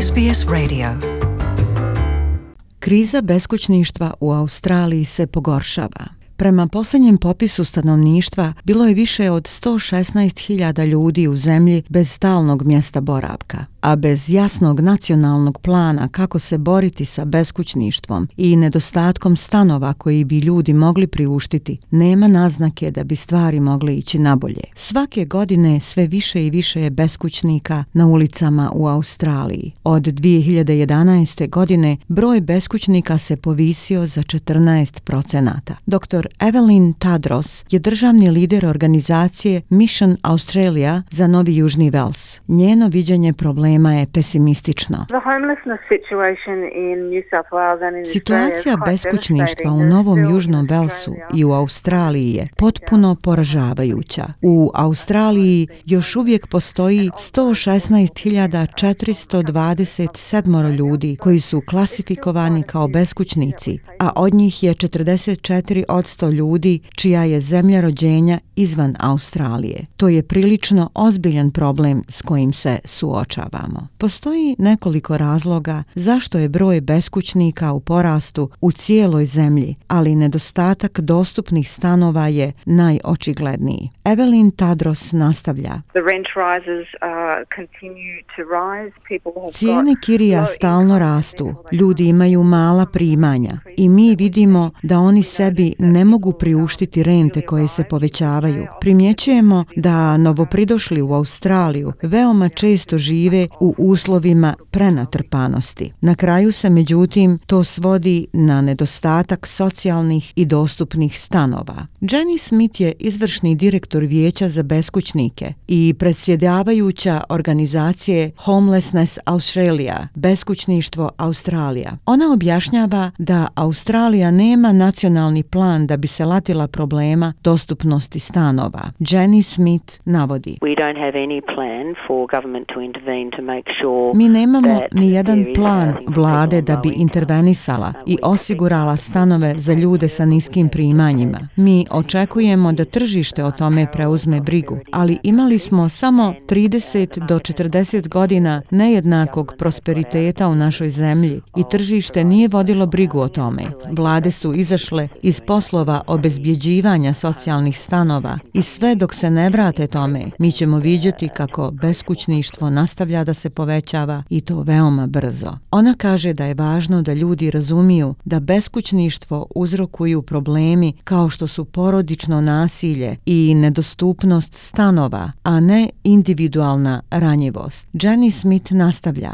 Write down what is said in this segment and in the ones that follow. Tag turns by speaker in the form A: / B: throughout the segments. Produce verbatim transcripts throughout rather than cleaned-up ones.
A: S B S Radio. Kriza beskućništva u Australiji se pogoršava. Prema posljednjem popisu stanovništva bilo je više od sto šesnaest hiljada ljudi u zemlji bez stalnog mjesta boravka, a bez jasnog nacionalnog plana kako se boriti sa beskućništvom i nedostatkom stanova koji bi ljudi mogli priuštiti, nema naznake da bi stvari mogle ići nabolje. Svake godine sve više i više je beskućnika na ulicama u Australiji. Od dvije hiljade jedanaeste. godine broj beskućnika se povisio za četrnaest procenata. Doktor Evelyn Tadros je državni lider organizacije Mission Australia za Novi Južni Vels. Njeno viđenje problema je pesimistično. Situacija beskućništva u Novom Južnom Velsu i u Australiji je potpuno poražavajuća. U Australiji još uvijek postoji sto šesnaest hiljada četiristo dvadeset sedam ljudi koji su klasifikovani kao beskućnici, a od njih je četrdeset četiri posto ljudi čija je zemlja rođenja izvan Australije. To je prilično ozbiljan problem s kojim se suočavamo. Postoji nekoliko razloga zašto je broj beskućnika u porastu u cijeloj zemlji, ali nedostatak dostupnih stanova je najočigledniji. Evelyn Tadros nastavlja. Cijene kirija stalno rastu, ljudi imaju mala primanja i mi vidimo da oni sebi ne mogu priuštiti rente koje se povećavaju. Primjećujemo da novopridošli u Australiju veoma često žive u uslovima prenatrpanosti. Na kraju se međutim to svodi na nedostatak socijalnih i dostupnih stanova. Jenny Smith je izvršni direktor Vijeća za beskućnike i predsjedavajuća organizacije Homelessness Australia, beskućništvo Australija. Ona objašnjava da Australija nema nacionalni plan da bi se latila problema dostupnosti stanova. Jenny Smith navodi: Mi nemamo ni jedan plan vlade da bi intervenisala i osigurala stanove za ljude sa niskim primanjima. Mi očekujemo da tržište o tome preuzme brigu, ali imali smo samo trideset do četrdeset godina nejednakog prosperiteta u našoj zemlji i tržište nije vodilo brigu o tome. Vlade su izašle iz poslova obezbjeđivanja socijalnih stanova i sve dok se ne vrate tome, mi ćemo vidjeti kako beskućništvo nastavlja da se povećava i to veoma brzo. Ona kaže da je važno da ljudi razumiju da beskućništvo uzrokuju problemi kao što su porodično nasilje i nedostupnost stanova, a ne individualna ranjivost. Jenny Smith nastavlja: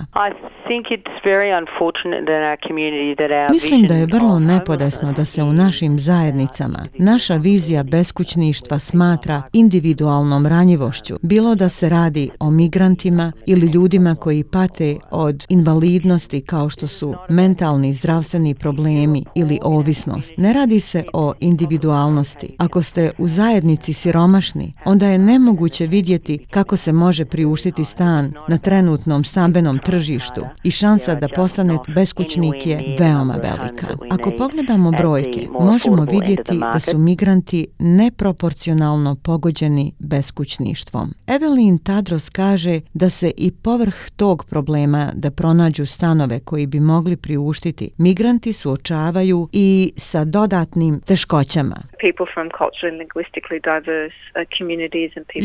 A: Mislim da je vrlo nepodesno da se u našim zajednicama naša vizija beskućništva smatra individualnom ranjivošću, bilo da se radi o migrantima ili ljudima koji pate od invalidnosti kao što su mentalni zdravstveni problemi ili ovisnost. Ne radi se o individualnosti. Ako ste u zajednici siromašni, onda je nemoguće vidjeti kako se može priuštiti stan na trenutnom stambenom tržištu i šansa da postanete beskućnik je veoma velika. Ako pogledamo brojke, možemo vidjeti da su migranti neproporcionalno pogođeni beskućništvom. Evelyn Tadros kaže da se i povrh tog problema da pronađu stanove koji bi mogli priuštiti, migranti suočavaju i sa dodatnim teškoćama.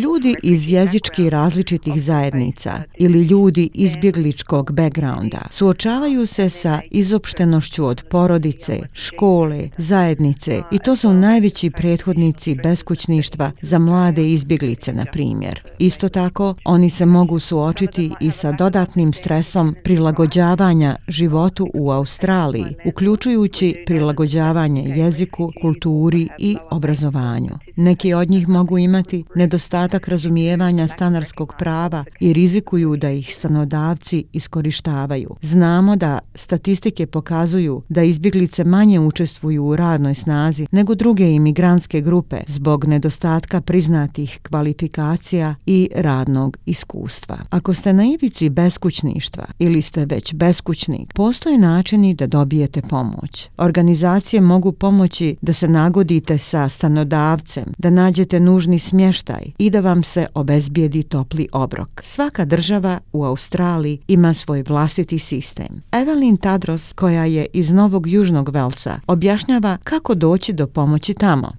A: Ljudi iz jezički različitih zajednica ili ljudi izbjegličkog backgrounda suočavaju se sa izopštenošću od porodice, škole, zajednice i to su najveći prethodnici beskućništva za mlade izbjeglice, na primjer. Isto tako, oni se mogu suočiti i sa dodatnim stresom prilagođavanja životu u Australiji, uključujući prilagođavanje jeziku, kulturi i obrazovanju. Neki od njih mogu imati nedostatak razumijevanja stanarskog prava i rizikuju da ih stanodavci iskorištavaju. Znamo da statistike pokazuju da izbjeglice manje učestvuju u radnoj snazi nego druge imigrantske grupe zbog nedostatka priznatih kvalifikacija i radnog iskustva. Ako ste na ivici beskućništva ili ste već beskućnik, postoje načini da dobijete pomoć. Organizacije mogu pomoći da se nagodite sa stanodavcem, da nađete nužni smještaj i da vam se obezbijedi topli obrok. Svaka država u Australiji ima svoj vlastiti vlastiti sistem. Evelyn Tadros, koja je iz Novog Južnog Velsa, objašnjava kako doći do pomoći tamo.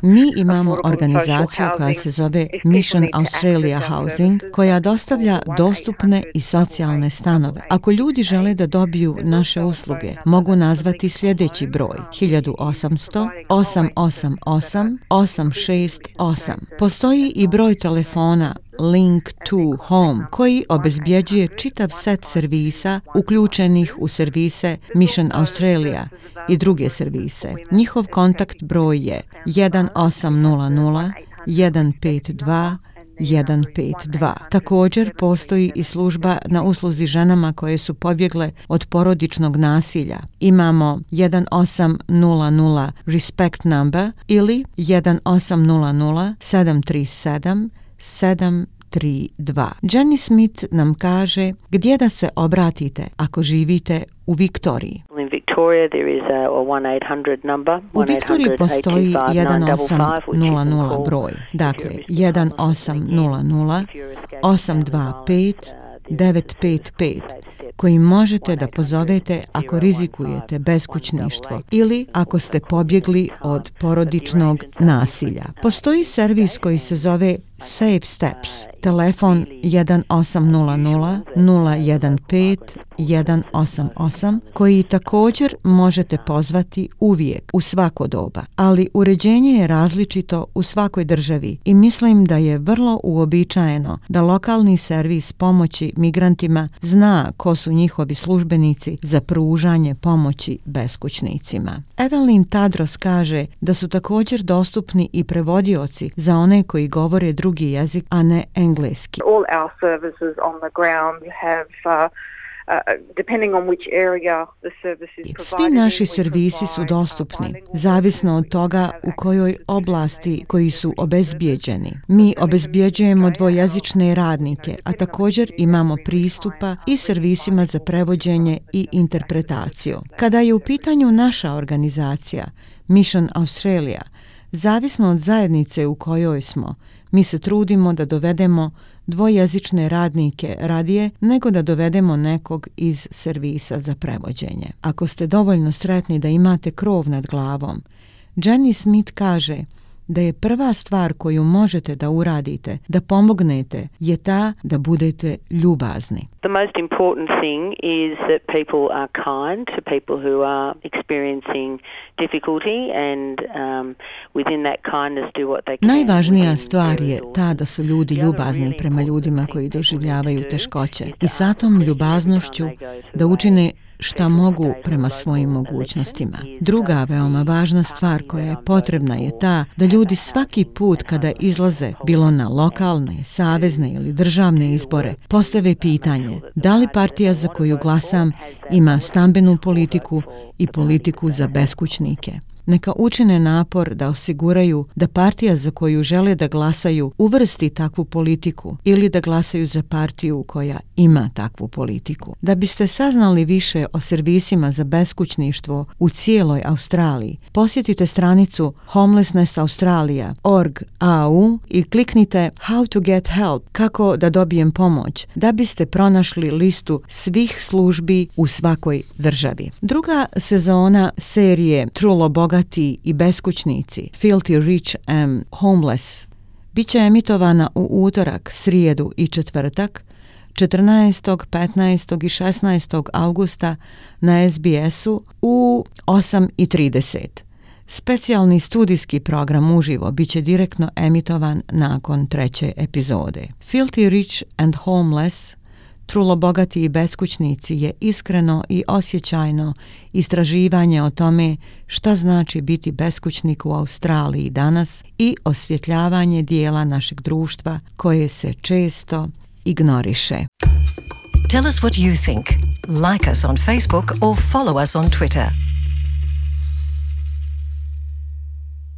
A: Mi imamo organizaciju koja se zove Mission Australia Housing, koja dostavlja dostupne i socijalne stanove. Ako ljudi žele da dobiju naše usluge, mogu nazvati sljedeći broj hiljadu osamsto osam osam osam osam šest osam. Postoji i broj telefona Link to Home, koji obezbjeđuje čitav set servisa uključenih u servise Mission Australia i druge servise. Njihov kontakt broj je jedan osam nula nula jedan pet dva jedan pet dva. Također postoji i služba na usluzi ženama koje su pobjegle od porodičnog nasilja. Imamo jedan osam nula nula Respect number ili jedan osam nula nula sedam tri sedam sedam tri dva. Jenny Smith nam kaže gdje da se obratite ako živite u Viktoriji. U Viktoriji postoji jedan osam nula nula broj, dakle jedan osam nula nula osam dva pet devet pet pet, koji možete da pozovete ako rizikujete beskućništvo ili ako ste pobjegli od porodičnog nasilja. Postoji servis koji se zove Safe Steps, telefon jedan osam nula nula nula jedan pet jedan osam osam, koji također možete pozvati uvijek, u svako doba. Ali uređenje je različito u svakoj državi i mislim da je vrlo uobičajeno da lokalni servis pomoći migrantima zna ko su njihovi službenici za pružanje pomoći beskućnicima. Evelyn Tadros kaže da su također dostupni i prevodioci za one koji govore drugi jezik, a ne engleski.
B: All our services on the ground have uh, Uh, depending on which area the service is provided.
A: Svi naši servisi su dostupni, zavisno od toga u kojoj oblasti koji su obezbijeđeni. Mi obezbijeđujemo dvojezične radnike, a također imamo pristupa i servisima za prevođenje i interpretaciju. Kada je u pitanju naša organizacija, Mission Australia, zavisno od zajednice u kojoj smo, mi se trudimo da dovedemo dvojezične radnike radije nego da dovedemo nekog iz servisa za prevođenje. Ako ste dovoljno sretni da imate krov nad glavom, Jenny Smith kaže da je prva stvar koju možete da uradite, da pomognete, je ta da budete ljubazni.
C: The most important thing is that people are kind to people who are experiencing difficulty and um, within that kindness do what they can.
A: Najvažnija stvar je ta da su ljudi ljubazni prema ljudima koji doživljavaju teškoće i sa tom ljubaznošću da učine šta mogu prema svojim mogućnostima. Druga veoma važna stvar koja je potrebna je ta da ljudi svaki put kada izlaze, bilo na lokalne, savezne ili državne izbore, postave pitanje da li partija za koju glasam ima stambenu politiku i politiku za beskućnike. Neka učine napor da osiguraju da partija za koju žele da glasaju uvrsti takvu politiku ili da glasaju za partiju koja ima takvu politiku. Da biste saznali više o servisima za beskućništvo u cijeloj Australiji, posjetite stranicu homelessness australia dot org dot a u i kliknite How to get help, kako da dobijem pomoć, da biste pronašli listu svih službi u svakoj državi. Druga sezona serije Trulo bogati i beskućnici, Filthy Rich and Homeless, bit će emitovana u utorak, srijedu i četvrtak, četrnaestog, petnaestog i šesnaestog augusta na es bi esu u osam i trideset. Specijalni studijski program uživo bit će direktno emitovan nakon treće epizode. Filthy Rich and Homeless, Trulo bogati i beskućnici je iskreno i osjećajno istraživanje o tome šta znači biti beskućnik u Australiji danas i osvjetljavanje dijela našeg društva koje se često ignoriše.
D: Tell us what you think. Like us on Facebook or follow us on Twitter.